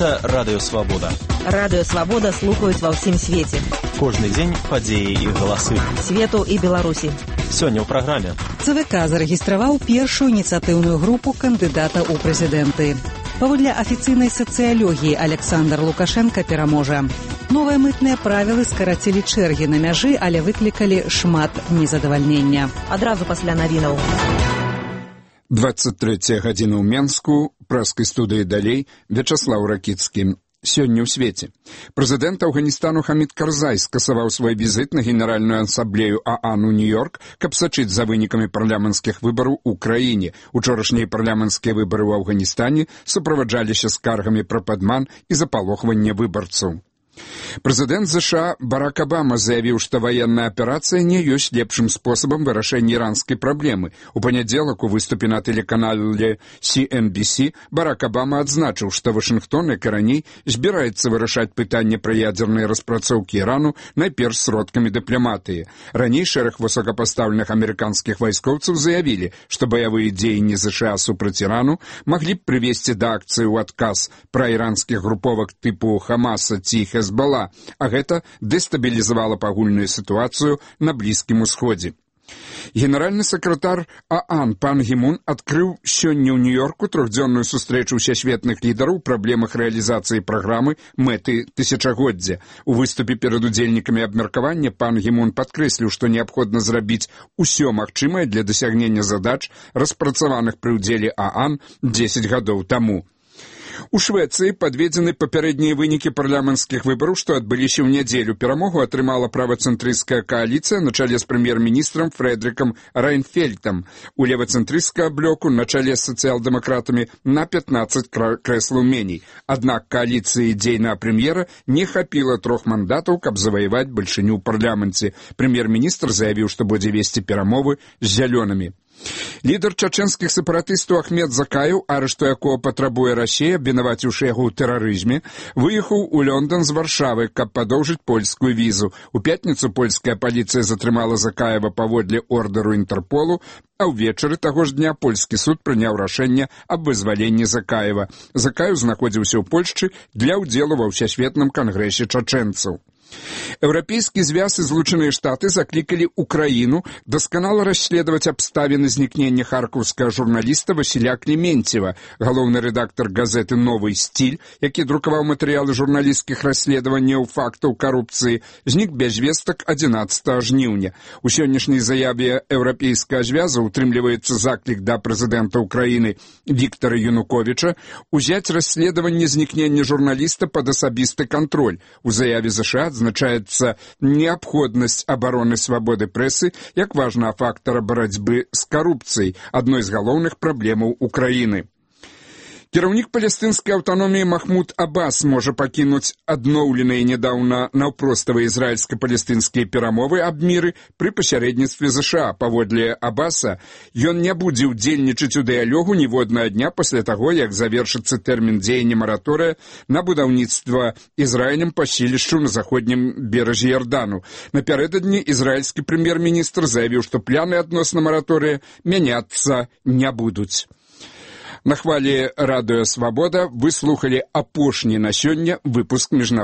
Гэта Радыё Свабода. Радыё Свабода слухаюць ва ўсім свеце. Кожны дзень падзеі і галасы. Свету і Беларусі. Сёння ў праграме. ЦВК зарэгістраваў першую ініцыятыўную групу кандыдата ў прэзідэнты. Паводле афіцыйнай сацыялогіі Александр Лукашенко пераможа. Новыя мытныя правілы скарацілі чэргі на мяжы, але выклікалі шмат незадавальнення. Адразу пасля навінаў. 23 гадзіна ў Менску, прэскай студыі далей, Вячаслаў Ракіцкі. Сёння ў свеце. Прэзідэнт Афганістану Хамід Карзай скасаваў свой візіт на Генеральную асамблею ААН у Нью-Йорк, каб сачыць за вынікамі парламенцкіх выбараў у краіне. Учорашнія парламенцкія выбары ў Афганістане суправаджаліся скаргамі пра падман і запалохванне выбарцаў. Прэзідэнт США Барак Абама заявіў, што ваенная аперацыя не ёсць лепшым спосабам вырашэння іранскай праблемы. У панядзелак у выступе на тэлеканале CNBC Барак Абама адзначыў, што Вашынгтон, як і раней, збіраецца вырашаць пытанне пра ядзерныя распрацоўкі Ірану найперш сродкамі дыпламатыі. Раней шэраг высокапастаўленых амерыканскіх вайскоўцаў заявілі, што баявыя дзеянні США супраць Ірану маглі б прывесці да акцыі ў адказ пра іранскіх груповак тыпу Хамаса ці Хезбала, а гэта дэстабілізавала агульную сітуацыю на Блізкім Усходзе. Генеральны сакратар ААН пан Гі Мун адкрыў сёння ў Нью-Йорку трохдзённую сустрэчу ўсесветных лідараў у праблемах рэалізацыі праграмы «Мэты тысячагоддзя». У выступе перад удзельнікамі абмеркавання пан Гі Мун падкрэсліў, што неабходна зрабіць усё магчымае для дасягнення задач, распрацаваных пры ўдзеле ААН 10 гадоў таму. У Швецыі падведзены папярэднія вынікі парламенцкіх выбараў, што адбыліся ў нядзелю. Перамогу атрымала правацэнтрысцкая кааліцыя на чале з прэм'ер-міністрам Фрэдрыкам Райнфельтам. У левацэнтрысцкага блоку на чале з сацыял-дэмакратамі на 15 крэслаў меней. Аднак кааліцыі дзейнага прэм'ера не хапіла 3 мандатаў, каб заваяваць бальшыню ў парламенце. Прэм'ер-міністр заявіў, што будзе весці перамовы з зялёнымі. Лідар чачэнскіх сепаратыстаў Ахмед Закаеў, арышту якого патрабуе Расія, абвінаваціўшы яго ў тэрарызме, выехаў у Лондон з Варшавы, каб падоўжыць польскую візу. У пятніцу польская паліцыя затрымала Закаева паводле ордэру Інтэрполу, а ўвечары таго ж дня польскі суд прыняў рашэнне аб вызваленні Закаева. Закаеў знаходзіўся ў Польшчы для ўдзелу ва ўсесветным кангрэсе чачэнцаў. Еўрапейскі звяз і Злучаныя Штаты заклікалі Украіну дасканала расследаваць абставіны знікнення харкаўскага журналіста Васіля Клементьева. Галоўны рэдактар газеты «Новый стиль», які друкаваў матэрыялы журналісцкіх расследаванняў фактаў карупцыі, знік без вестак 11 жніўня. У сённяшняй заяве еўрапейскага звяза утрымліваецца заклік да прэзідэнта Украіны Віктара Януковіча узяць расследаванне знікнення журналіста пад асабісты кантроль. У заяве США адзначаецца неабходнасць абароны свабоды прэсы як важнага фактара барацьбы з карупцыяй, адной з галоўных праблемаў Украіны. Кіраўнік палестынскай аўтаноміі Махмуд Аббас можа пакінуць адноўленыя нядаўна наўпроставыя ізраільска-палестынскія перамовы аб міры пры пасярэдніцтве ЗША. Паводле Аббаса, ён не будзе ўдзельнічаць у дыялогу ніводнага дня пасля таго, як завершыцца тэрмін дзеяння мараторыя на будаўніцтва Ізраілем паселішчу на заходнім беразе Ярдану. Напярэдадні ізраільскі прэм'ер-міністр заявіў, што пляны адносна мараторыя мяняцца не будуць. На хвалі Радыё Свабода вы слухалі апошні на сёння выпуск міжнароднага